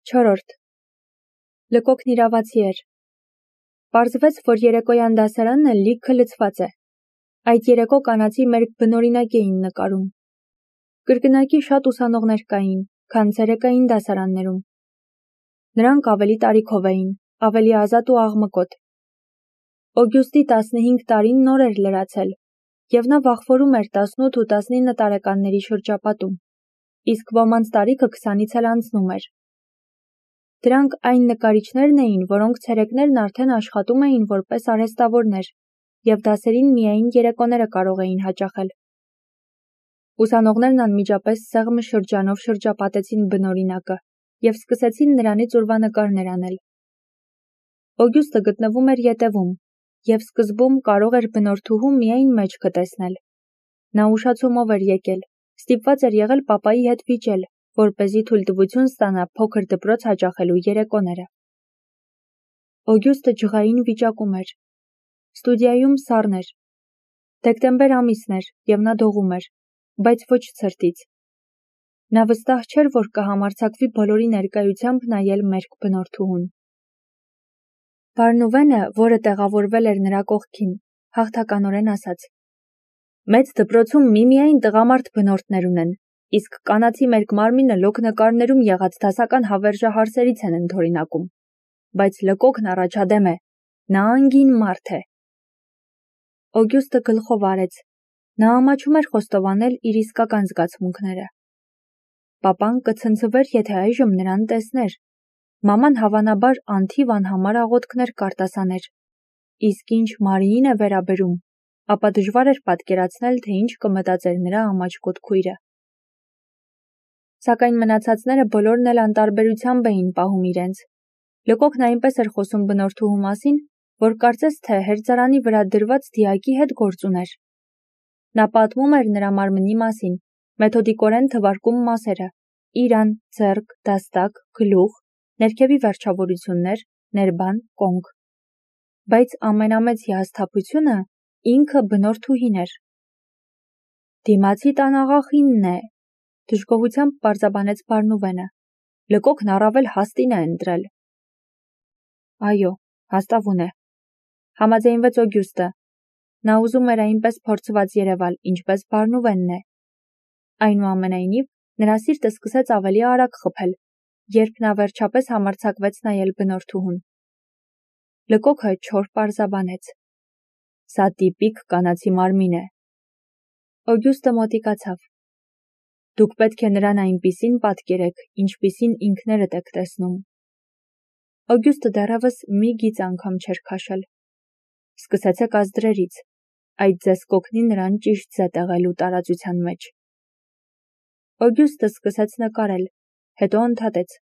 4. Լկոկն իրավացի էր։ Պարզվեց, որ երեկոյան դասարանը լիքը լցված է։ Այդ երեկո կանացի մերկ բնօրինակ էին նկարում։ Կրկնակի շատ ուսանողներ կային, քան ցերեկային դասարաններում։ Նրանք ավելի տարիքով էին, ավելի ազատ ու աղմկոտ։ Օգյուստի 15 տարին նոր էր լրացել, և նա վախվորում էր 18 ու 19 տարեկանների շրջապատում, իսկ ոմանց տարիքը 20-ից էլ անցնում էր։ Դրանք այն նկարիչներն էին, որոնք ցերեկներն արդեն աշխատում էին որպես արհեստավորներ, և դասերին միայն երեկոները կարող էին հաճախել։ Ուսանողներն անմիջապես սեղմը շրջանով շրջապատեցին բնօրինակը և սկսեցին նրանից ուրվանկարներ անել։ Օգյուստը գտնվում էր ետևում, և սկզբում կարող էր բնորդուհու միայն մեջքը տեսնել։ Նա ուշացումով էր եկել, ստիպված էր եղել պապայի հետ վիճել, որպեսզի թույլտվություն ստանա փոքր դպրոց հաճախելու երեկոները։ Օգյուստը ջղային վիճակում էր։ Ստուդիայում սառն էր։ Դեկտեմբեր ամիսն էր, և նա դողում էր, բայց ոչ ցրտից։ Նա վստահ չէր, որ կհամարձակվի բոլորի ներկայությամբ նայել մերկ բնորդուհուն։ Բարնուվենը, որը տեղավորվել էր նրա կողքին, հաղթականորեն ասաց. «Մեծ դպրոցում միմիայն տղամարդ բնորդներ ունեն, իսկ կանացի մերկ մարմինը լոկ նկարներում եղած դասական հավերժահարսերից են ընդօրինակում, բայց Լկոկն առաջադեմ է, նա անգին մարդ է»։ Օգյուստը գլխով արեց։ Նա ամաչում էր խոստովանել իր իսկական զգացմունքները։ Պապան կցնցվեր, եթե այժմ նրան տեսներ։ Մաման հավանաբար անթիվ անհամար աղոթքներ կարտասաներ։ Իսկ ինչ Մարիին է վերաբերում, ապա դժվար էր պատկերացնել, թե ինչ կմտածեր նրա ամաչկոտ քույրը։ Սակայն մնացածները բոլորն էլ անտարբերությամբ էին պահում իրենց։ Լկոկն այնպես էր խոսում բնորդուհու մասին, որ կարծես թե հերձարանի վրա դրված դիակի հետ գործ ուներ։ Նա պատմում էր նրա մարմնի մասին, մեթոդիկորեն թվարկում մասերը՝ իրան, ձեռք, դաստակ, գլուխ, ներքևի վերջավորություններ, ներբան, կոնք։ Բայց ամենամեծ հիասթափությունը ինքը բնորդուհին էր։ «Դիմացի տան աղախինն է», դժգոհությամբ պարզաբանեց Բարնուվենը։ «Լկոկն առավել հաստին է ընտրել»։ Այո, հաստավուն է, համաձայնվեց Օգյուստը։ Նա ուզում էր այնպես փորձված երևալ, ինչպես Բարնուվենն է։ Այնուամենայնիվ, նրա սիրտը սկսեց ավելի արագ խփել, երբ նա վերջապես համարձակվեց նայել բնորդուհուն։ Լկոկը չոր պարզաբանեց. «Սա տիպիկ կանացի մարմին է»։ Օգյուստը մոտիկացավ։ «Դուք պետք է նրան այնպիսին պատկերեք, ինչպիսին ինքներդ եք տեսնում»։ Օգյուստը դեռևս մի գիծ անգամ չէր քաշել։ «Սկսեցեք ազդրերից, այդ ձեզ կօգնի նրան ճիշտ ձե տեղելու տարածության մեջ»։ Օգյուստը սկսեց նկարել, հետո ընդհատեց.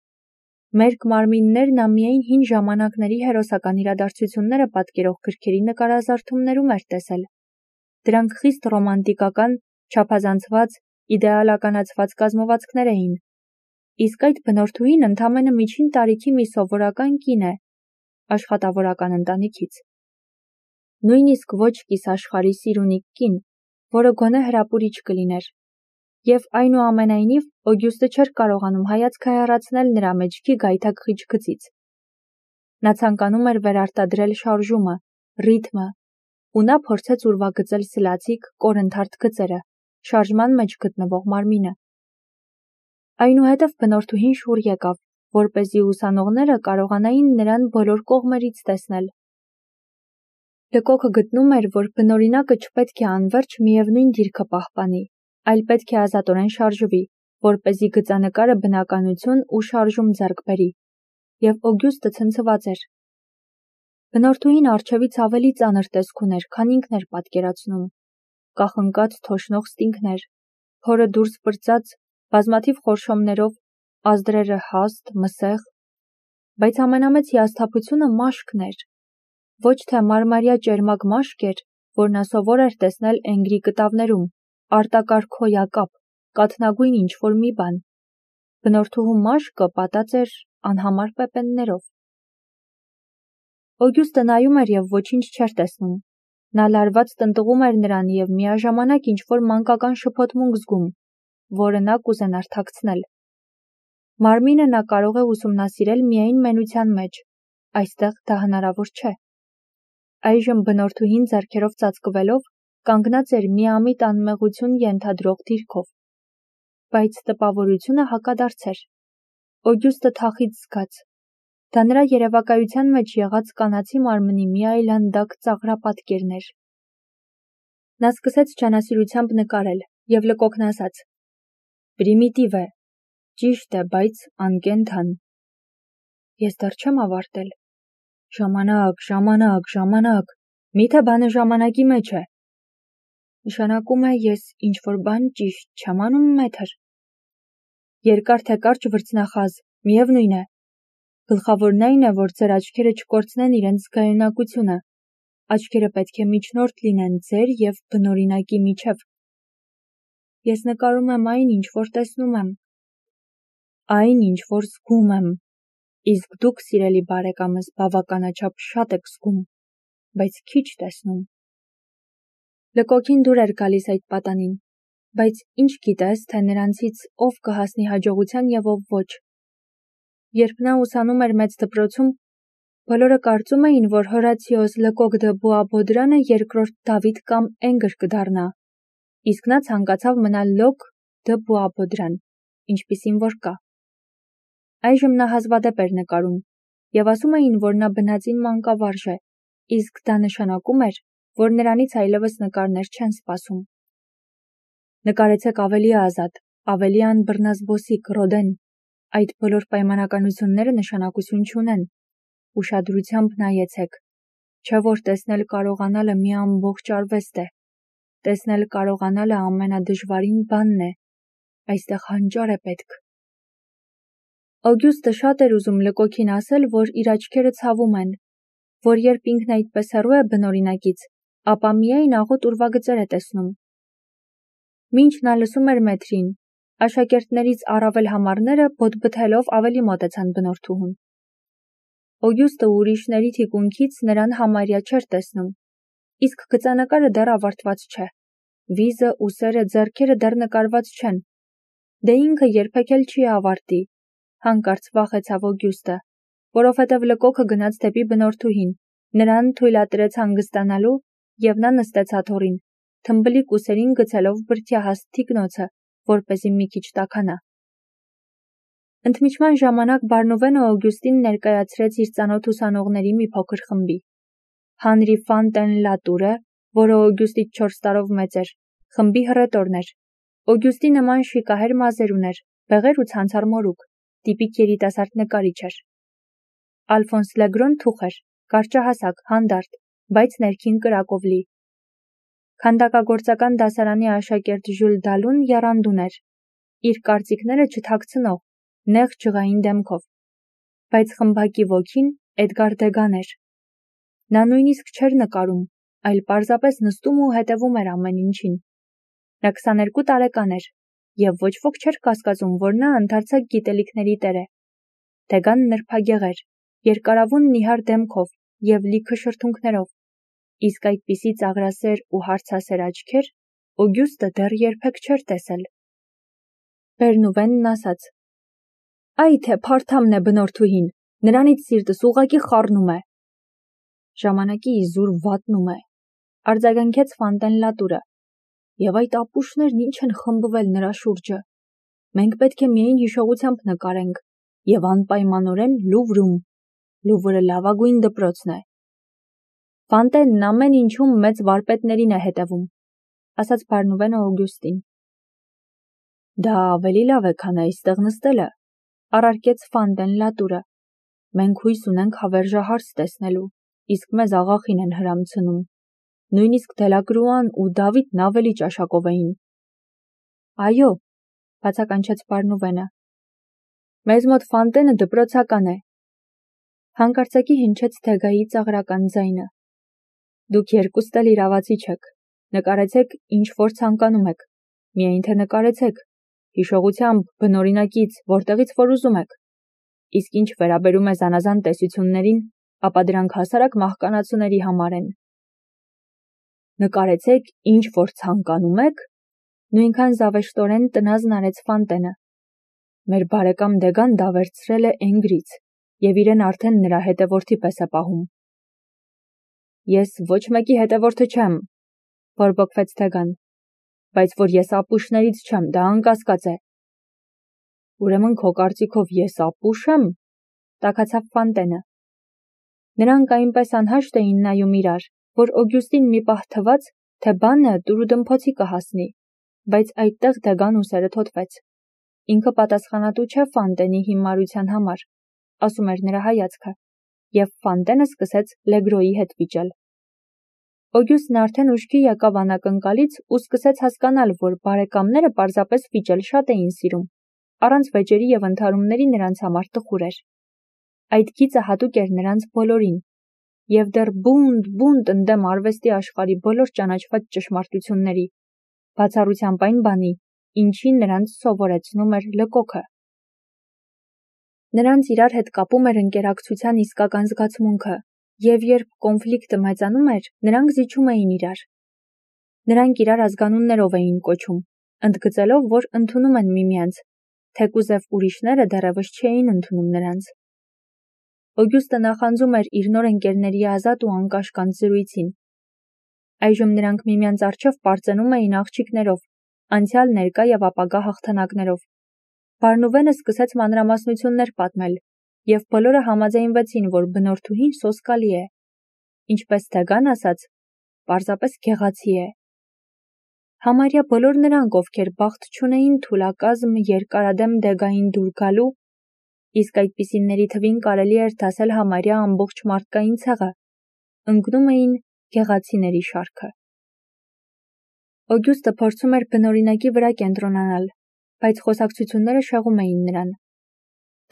«Մերկ մարմիններն ամիայն հին ժամանակների հերոսական իրադարձությունները պատկերող գրքերի նկարազարդումներում էր տեսել։ Դրանք խիստ ռոմանտիկական, չափազանցված, իդեալականացված կազմվածքներ էին։ Իսկ այդ բնորդուհին ընդամենը միջին տարիքի մի սովորական կին է, աշխատավորական ընտանիքից։ Նույնիսկ ոչ կիսաշխարհի սիրունիկ կին, որը գոնե հրապուրիչ կլիներ։ Եվ այնուամենայնիվ Օգյուստը չէր կարողանում հայացքը հեռացնել նրա մեջքի գայթակղիչ գծից։ Նա ցանկանում էր վերարտադրել շարժումը, ռիթմը, ու նա փորձեց ուրվագծել սլացիկ, կորընթարթ գծերը, շարժման մեջ գտնվող մարմինը։ Այնուհետև բնորդուհին շուռ եկավ, որպեսզի ուսանողները կարողանային նրան բոլոր կողմերից տեսնել։ Լկոկը գտնում էր, որ բնօրինակը չպետք է անվերջ միևնույն դիրքը պահպանի, այլ պետք է ազատորեն շարժվի, որպեսզի գծանկարը բնականություն ու շարժում ձեռք բերի, և Օգյուստը ցնցված էր։ Բնորդուհին առջևից ավելի ծանր տեսք ուներ, քան ինքն էր պատկերացնում։ Կախնկած թոշնող ստինգներ, փորը դուրս պրծած, բազմաթիվ խորշոմներով, ազդրերը հաստ, մսեղ։ Բայց ամենամեծ հիասթափությունը մաշկն էր։ Ոչ թե մարմարյա ճերմակ մաշկ էր, որ նա սովոր էր տեսնել Էնգրի կտավներում, արտակարգ հոյակապ, կաթնագույն ինչ-որ մի բան։ Բնորդուհու մաշկը պատած էր անհամար պեպեններով։ Օգյուստը նայում էր և ոչինչ չէր տեսնում։ Նա լարված տնտղում էր նրան և միաժամանակ ինչ-որ մանկական շփոթմունք զգում, որը նա կուզենար թաքցնել։ Մարմինը նա կարող է ուսումնասիրել միայն մենության մեջ, այստեղ դա հնարավոր չէ։ Այժմ բնորդուհին ձեռքերով ծածկվելով կանգնած էր միամիտ անմեղություն ենթադրող դիրքով, բայց տպավորությունը հակադարձ էր։ Օգյուստը թախիծ զգաց։ Դա նրա երևակայության մեջ եղած կանացի մարմնի մի այլանդակ ծաղրապատկերն էր։ Նա սկսեց ջանասիրությամբ նկարել և լկոկն ասաց. «Պրիմիտիվ է, ճիշտ է, բայց անկենդան։ Ես դեռ չեմ ավարտել։ Ժամանակ, միթե բանը ժամանակի մեջ է։ Նշանակում է ես ինչ-որ բան ճիշտ չեմ անում, մեթր։ Երկար թե կարճ վրձնախազ, միևնույն է։ Գլխավորն այն է, որ ձեր աչքերը չկորցնեն իրենց զգայունակությունը։ Աչքերը պետք է միջնորդ լինեն ձեր և բնօրինակի միջև։ Ես նկարում եմ այն, ինչ որ տեսնում եմ, այն, ինչ որ զգում եմ, իսկ դուք, սիրելի բարեկամս, բավականաչափ շատ եք զգում, բայց քիչ տեսնում»։ Լկոկին դուր էր գալիս այդ պատանին, բայց ինչ գիտես, թե նրանցից ով կհասնի հաջողության և ով ոչ։ Երբ նա ուսանում էր մեծ դպրոցում, բոլորը կարծում էին, որ Հորացիոս Լկոկ դը Բուաբոդրանը երկրորդ Դավիթ կամ Էնգր կդառնա, իսկ նա ցանկացավ մնալ Լոկ դը Բուաբոդրան, ինչպիսին որ կա։ Այժմ նա հազվադեպ էր նկարում, և ասում էին, որ նա բնածին մանկավարժ է, իսկ դա նշանակում էր, որ նրանից այլևս նկարներ չեն սպասում։ Նկարեցեք ավելի ազատ, ավելի անբռնազբոսիկ, Ռոդեն, այդ բոլոր պայմանականությունները նշանակություն չունեն։ Ուշադրությամբ նայեցեք, չէ որ տեսնել կարողանալը մի ամբողջ արվեստ է։ Տեսնել կարողանալը ամենադժվարին բանն է, այստեղ հանճար է պետք։ Օգյուստը շատ էր ուզում Լկոկին ասել, որ իր աչքերը ցավում են, որ երբ ինքն այդպես հեռու է բնօրինակից, ապա միայն աղոտ ուրվագծեր է տեսնում։ Մինչ նա լսում էր մեթրին, աշակերտներից առավել համառները բոթբթելով ավելի մոտեցան բնորդուհուն։ Օգյուստը ուրիշների թիկունքից նրան համարյա չէր տեսնում, իսկ գծանկարը դեռ ավարտված չէ։ Վիզը, ուսերը, ձեռքերը դեռ նկարված չեն։ Դե ինքը երբեք էլ չի ավարտի, հանկարծ վախեցավ Օգյուստը, որովհետև Լկոկը գնաց դեպի բնորդուհին, նրան թույլատրեց հանգստանալու, և նա նստեց աթոռին, թմբլիկ ուսերին գցելով բրդյահաստ թիկնոցը, որպեսզի մի քիչ տաքանա։ Ընդմիջման ժամանակ Բարնուվենը Օգյուստին ներկայացրեց իր ծանոթ ուսանողների մի փոքր խմբի։ Հանրի Ֆանտեն Լատուրը, որը Օգյուստից 4 տարով մեծ էր, խմբի հռետորն էր։ Օգյուստի նման շիկահեր մազեր ուներ, բեղեր ու ցանցառ մորուք, տիպիկ երիտասարդ նկարիչ էր։ Ալֆոնս Լեգրոն թուխ էր, կարճահասակ, հանդարտ, բայց ներքին կրակով լի։ Քանդակագործական դասարանի աշակերտ Ժյուլ Դալուն եռանդուն էր, իր կարծիքները չթաքցնող, նեղ ջղային դեմքով, բայց խմբակի ոգին Էդգար Դեգան էր։ Նա նույնիսկ չէր նկարում, այլ պարզապես նստում ու հետևում էր ամեն ինչին։ Նա 22 տարեկան էր, և ոչ ոք չէր կասկածում, որ նա ընդարձակ գիտելիքների տեր է։ Դեգան նրբագեղ էր, երկարավուն նիհար դեմքով և լիքը շրթունքներով, իսկ այդպիսի ծաղրասեր ու հարցասեր աչքեր Օգյուստը դեռ երբեք չէր տեսել։ Բերնուվենն ասաց. «Այ թե փարթամն է բնորդուհին, նրանից սիրտս ուղղակի խառնում է»։ Ժամանակի իզուր վատնում է, արձագանքեց Ֆանտեն Լատուրը, և այդ ապուշներն ինչ են խմբվել նրա շուրջը։ Մենք պետք է միայն հիշողությամբ նկարենք, և անպայմանորեն Լուվրում։ Լուվրը լավագույն դպրոցն է։ Ֆանտենն ամեն ինչում մեծ վարպետներին է հետևում, ասաց Բարնուվենը Օգյուստին։ Դա ավելի լավ է, քան այստեղ նստելը, առարկեց Ֆանտեն Լատուրը։ Մենք հույս ունենք հավերժահարց տեսնելու, իսկ մեզ աղախին են հրամցնում։ Նույնիսկ Դելակրուան ու Դավիթն ավելի ճաշակով էին։ Այո, բացականչեց Բարնուվենը։ Մեզ մոտ Ֆանտենը դպրոցական է։ Հանկարծակի հնչեց Դեգայի ծաղրական ձայնը։ Դուք երկուստ էլ իրավացի չեք։ Նկարեցեք, ինչ որ ցանկանում եք։ Միայն թե նկարեցեք, հիշողությամբ, բնօրինակից, որտեղից որ ուզում եք։ Իսկ ինչ վերաբերում է զանազան տեսություններին, ապա դրանք հասարակ մահկանացուների համար են։ Նկարեցեք, ինչ որ ցանկանում եք, նույնքան զավեշտորեն տնազն արեց Ֆանտենը։ Մեր բարեկամ Դեգան դա վերցրել է Էնգրից և իրեն արդեն նրա հետևորդի պես է պահում։ Ես ոչ մեկի հետևորդը չեմ, բորբոքվեց Դեգան, բայց որ ես ապուշներից չեմ, դա անկասկած է։ Ուրեմն քո կարծիքով ես ապուշ եմ, տաքացավ Ֆանտենը։ Նրանք այնպես անհաշտ էին նայում իրար, որ Օգյուստին մի պահ թվաց, թե բանը տուրուդմփոցի կհասնի, բայց այդտեղ Դեգան ուսերը թոթվեց։ Ինքը պատասխանատու չէ Ֆանտենի հիմարության համար, ասում էր նրա հայացքը, և Ֆանտենը սկսեց Լեգրոյի հետ վիճել։ Օգյուստն արդեն ուշքի եկավ անակնկալից ու սկսեց հասկանալ, որ բարեկամները պարզապես վիճել շատ էին սիրում, առանց վեճերի և ընդհարումների նրանց համար տխուր էր։ Այդ գիծը հատուկ էր նրանց բոլորին, և դեռ բունտ ընդդեմ արվեստի աշխարհի բոլոր ճանաչված ճշմարտությունների, բացառությամբ այն բանի, ինչին նրանց սովորեցնում էր Լկոքը։ Նրանց իրար հետ կապում էր ընկերակցության իսկական զգացմունքը, և երբ կոնֆլիկտը մեծանում էր, նրանք զիջում էին իրար։ Նրանք իրար ազգանուններով էին կոչում, ընդգծելով, որ ընդունում են միմյանց, թեկուզև ուրիշները դեռևս չէին ընդունում նրանց։ Օգյուստը նախանձում էր իր նոր ընկերների ազատ ու անկաշկանդ զրույցին։ Այժմ նրանք միմյանց առջև պարծենում էին աղջիկներով, անցյալ, ներկա և ապագա հաղթանակներով։ Բարնուվենը սկսեց մանրամասնություններ պատմել, և բոլորը համաձայնվեցին, որ բնորդուհին սոսկալի է, ինչպես Դեգան ասաց, պարզապես գեղացի է։ Համարյա բոլոր նրանք, ովքեր բախտ չունեին թուլակազմ երկարադեմ Դեգային դուր գալու, իսկ այդպիսիների թվին կարելի էր դասել համարյա ամբողջ մարդկային ցեղը, ընկնում էին գեղացիների շարքը։ Օգյուստը փորձում էր բնօրինակի վրա կենտրոնանալ, բայց խոսակցությունները շեղում էին նրան։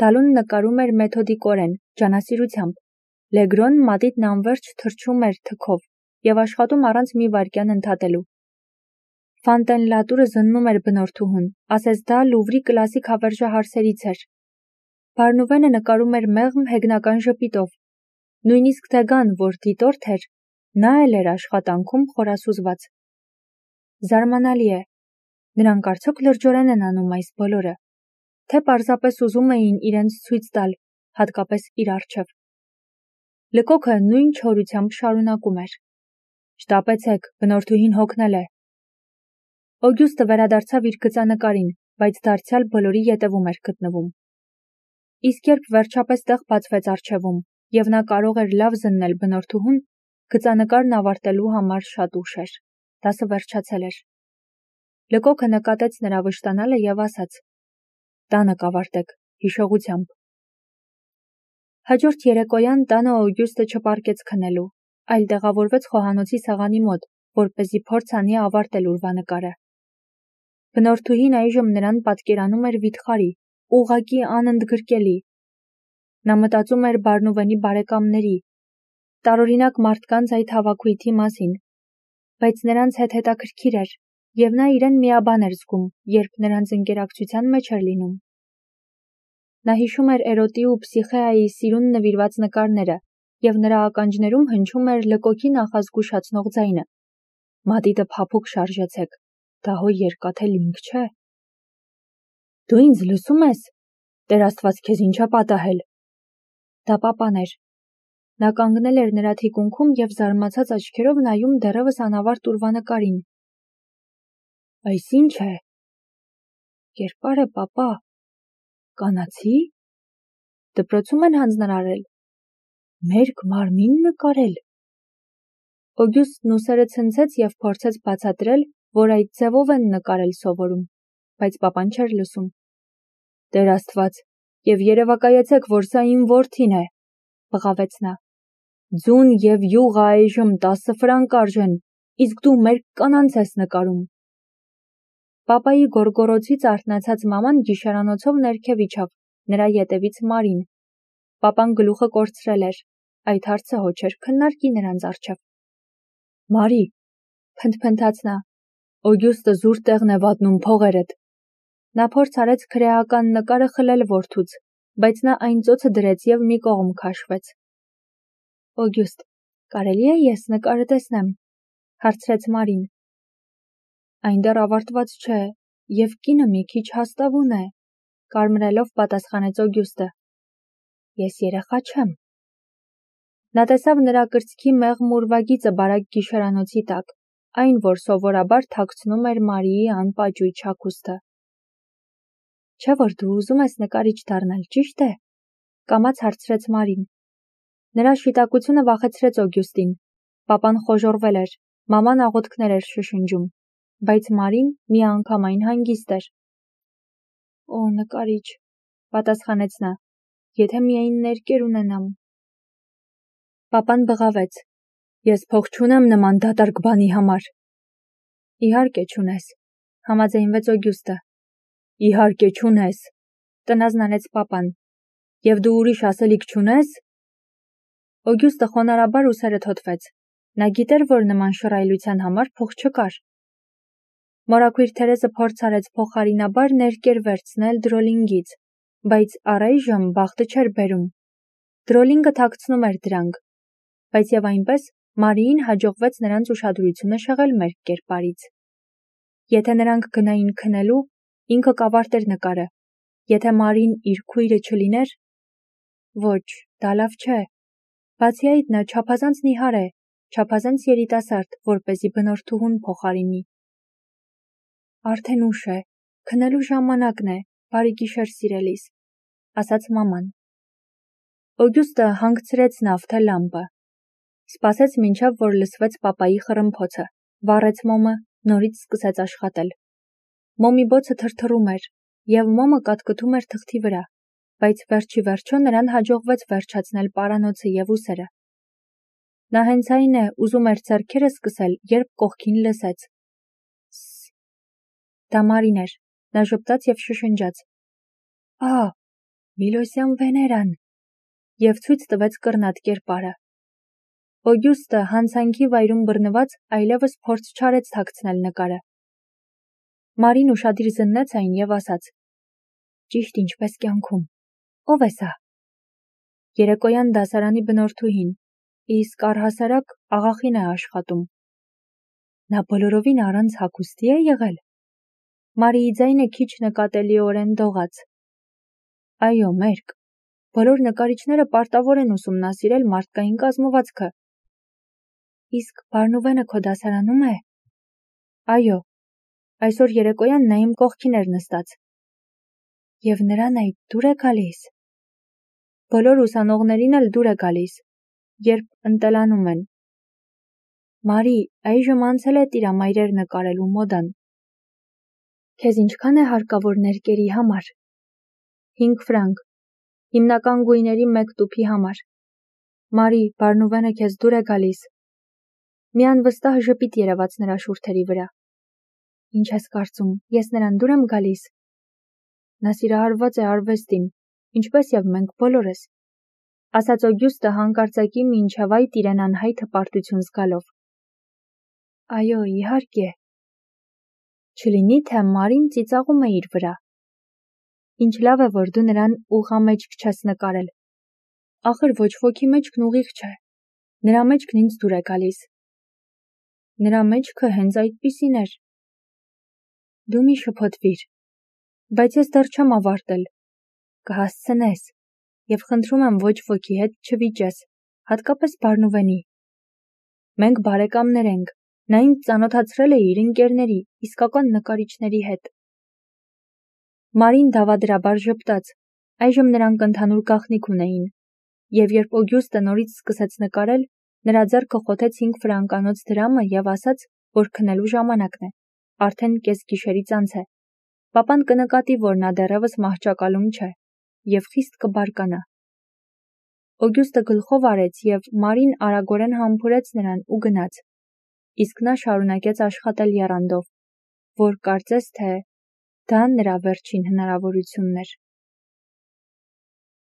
Դալուն նկարում էր մեթոդիկորեն, ջանասիրությամբ, Լեգրոն մատիտն անվերջ թռչում էր թքով և աշխատում առանց մի վայրկյան ընդհատելու։ Ֆանտենլատուրը զննում էր բնորդուհուն, ասես դա Լուվրի կլասիկ հավերժահարսերից էր։ Բարնուվենը նկարում էր մեղմ հեգնական ժպիտով։ Նույնիսկ Դեգան, որ դիտորդ էր, նա էլ էր աշխատանքում խորասուզված։ Զարմանալի է, նրանք արդյոք լրջորեն են անում այս բոլորը, թե պարզապես ուզում էին իրենց ցույց տալ, հատկապես իր առջև։ Լկոքը նույն չորությամբ շարունակում էր. «Շտապեցեք, բնորդուհին հոգնել է»։ Օգյուստը վերադարձավ իր գծանկարին, բայց դարձյալ բոլորի ետևում էր գտնվում։ Իսկ երբ վերջապես տեղ բացվեց առջևում, և նա կարող էր լավ զննել բնորդուհուն, գծանկարն ավարտելու համար շատ ուշ էր, դասը վերջացել էր։ Լկոքը նկատեց նրա վշտանալը և ասաց. «Տանը կավարտեք, հիշողությամբ»։ Հաջորդ երեկոյան տանը Օգյուստը չպարկեց քնելու, այլ տեղավորվեց խոհանոցի սեղանի մոտ, որպեսզի փորձ անի ավարտել ուրվանկարը։ Բնորդուհին այժմ նրան պատկերանում էր վիթխարի, ուղղակի անընդգրկելի։ Նա մտածում էր Բարնուվենի բարեկամների, տարօրինակ մարդկանց այդ հավաքույթի մասին, բայց նրանց հետ հետաքրքիր էր, և նա իրեն միաբան էր զգում, երբ նրանց ընկերակցության մեջ էր լինում։ Նա հիշում էր Էրոտի ու Փսիխեայի սիրուն նվիրված նկարները, և նրա ականջներում հնչում էր Լկոքի նախազգուշացնող ձայնը. «Մատիտը փափուկ շարժեցեք, դա հո երկաթե լինք չէ»։ «Դու ինձ լսում ես, Տեր Աստված քեզ ինչ է պատահել»։ Դա պապան էր։ Նա կանգնել էր նրա թիկունքում և զարմացած աչքերով նայում դեռևս անավարտ ուրվանկարին։ «Այս ի՞նչ է»։ «Կերպար է, պապա»։ «Կանացի՞։ Դպրոցում են հանձնարարել»։ «Մերկ մարմին նկարել»։ Օգյուստն ուսերը ցնցեց և փորձեց բացատրել, որ այդ ձևով են նկարել սովորում, բայց պապան չէր լսում։ «Տեր Աստված, և երևակայեցեք, որ սա իմ որդին է», բղավեց նա։ «Ձուն և յուղը այժմ 10 ֆրանկ արժեն, իսկ դու մերկ կանանց ես նկարում»։ Պապայի գոռգոռոցից արթնացած մաման գիշերանոցով ներքև իջավ, նրա ետևից Մարին։ Պապան գլուխը կորցրել էր, այդ հարցը հո չէր քննարկի նրանց առջև։ «Մարի», փնթփնթաց նա, «Օգյուստը զուր տեղն է վատնում փողերդ»։ Նա փորձ արեց քրեական նկարը խլել որդուց, բայց նա այն ծոցը դրեց և մի կողմ քաշվեց։ «Օգյուստ, կարելի է ես նկարը տեսնեմ», հարցրեց Մարին։ «Այն դեռ ավարտված չէ, և կինը մի քիչ հաստավուն է, կարմրելով պատասխանեց Օգյուստը։ Ես երեխա չեմ։ Նա տեսավ նրա կրծքի մեղմ ուրվագիծը բարակ գիշերանոցի տակ, այն, որ սովորաբար թաքցնում էր Մարիի անպաճույճ հագուստը։ Չէ՞ որ դու ուզում ես նկարիչ դառնալ, ճիշտ է, կամաց հարցրեց Մարին։ Նրա շիտակությունը վախեցրեց Օգյուստին։ Պապան խոժոռվել էր, մաման աղոթքներ էր շշնջում, բայց Մարին միանգամայն հանգիստ էր։ Օ, նկարիչ, պատասխանեց նա, եթե միայն ներկեր ունենամ։ Պապան բղավեց. Ես փող չունեմ նման դատարկ բանի համար։ Իհարկե չունես, համաձայնվեց Օգյուստը։ Իհարկե չունես, տնազնանեց պապան։ Եվ դու ուրիշ ասելիք չունես։ Օգյուստը խոնարհաբար ուսերը թոթվեց։ Նա գիտեր, որ նման շռայլության համար փող չկար։ Մորաքույր Թերեզը փորձ արեց փոխարինաբար ներկեր վերցնել Դրոլինգից, բայց առայժմ բախտը չէր բերում։ Դրոլինգը թաքցնում էր դրանք, բայց եւ այնպես Մարիին հաջողվեց նրանց ուշադրությունը շեղել մերկ կերպարից։ Եթե նրանք գնային քնելու, ինքը կավարտեր նկարը։ Եթե Մարին իր քույրը չլիներ, ոչ, դա լավ չէ։ Բացի այդ նա չափազանց նիհար է, չափազանց երիտասարդ, որպեսզի բնորդուհուն փոխարինի։ Արդեն ուշ է, քնելու ժամանակն է, բարի գիշեր սիրելիս, ասաց մաման։ Օգյուստը հանգցրեց նավթը լամպը։ Սպասեց մինչև որ լսվեց պապայի խռմփոցը, վառեց մոմը, նորից սկսեց աշխատել։ Մոմի բոցը թրթռում էր, եւ մոմը կատկտում էր թղթի վրա, բայց վերջի վերջո նրան հաջողվեց վերջացնել պարանոցը եւ ուսերը։ Նա հենց այն է, ուզում էր ձեռքերը սկսել, երբ կողքին լսեց. Դա Մարին էր, նա ժպտաց եւ շշնջաց. Ա, Միլոսյան Վեներան, եւ ցույց տվեց կռնատ կերպարը։ Օգյուստը հանցանքի վայրում բռնված այլևս փորձ չարեց թաքցնել նկարը։ Մարին ուշադիր զննեց այն եւ ասաց. Ճիշտ ինչպես կյանքում։ Ո՞վ է սա։ Երեկոյան դասարանի բնորդուհին, իսկ առհասարակ աղախին է աշխատում։ Նա բոլորովին առանց հագուստի է եղել։ Մարիի ձայնը քիչ նկատելիորեն դողաց։ Այո, մերկ։ Բոլոր նկարիչները պարտավոր են ուսումնասիրել մարդկային կազմվածքը։ Իսկ Բարնուվենը քո դասարանում է։ Այո, այսօր երեկոյան նա իմ կողքին էր նստած։ Եվ նրան այդ դուր է գալիս։ Բոլոր ուսանողներին էլ դուր է գալիս, երբ ընտելանում են։ Մարի, այժմ անցել է տիրամայրեր նկարելու մոդան։ Քեզ ինչքան է հարկավոր ներկերի համար։ 5 ֆրանկ, հիմնական գույների 1 տուփի համար։ Մարի, Բարնուվենը քեզ դուր է գալիս։ Մի անվստահ ժպիտ երևաց նրա շուրթերի վրա։ Ինչ ես կարծում, ես նրան դուր եմ գալիս։ Նա սիրահարված է արվեստին, ինչպես եւ մենք բոլորս, ասաց Օգյուստը հանկարծակի մինչև այդ իրեն անհայտ հպարտություն զգալով։ Այո, իհարկե։ Չլինի թե Մարին ծիծաղում է իր վրա։ Ինչ լավ է, որ դու նրան ուղղամեջք չես նկարել։ Ախր ոչ ոքի մեջքն ուղիղ չէ։ Նրա մեջքն ինձ դուր է գալիս։ Նրա մեջքը հենց այդպիսին էր։ Դու մի շփոթվիր, բայց ես դեռ չեմ ավարտել։ Կհասցնես, եւ խնդրում եմ ոչ ոքի հետ չվիճես, հատկապես Բարնուվենի։ Մենք բարեկամներ ենք, նա ինձ ծանոթացրել է իր ընկերների, իսկական նկարիչների հետ։ Մարին դավադրաբար ժպտաց, այժմ նրանք ընդհանուր գաղտնիք ունեին, եւ երբ Օգյուստը նորից սկսեց նկարել, նրա ձեռքը խոթեց 5 ֆրանկանոց դրամը եւ ասաց, որ քնելու ժամանակն է, արդեն կեսգիշերից անց է։ Պապան կնկատի, որ նա դեռևս մահճակալում չէ, եւ խիստ կբարկանա։ Օգյուստը գլխով արեց եւ Մարին արագորեն համբուրեց նրան ու գնաց, իսկ նա շարունակեց աշխատել եռանդով, որ կարծես թե դա նրա վերջին հնարավորությունն էր։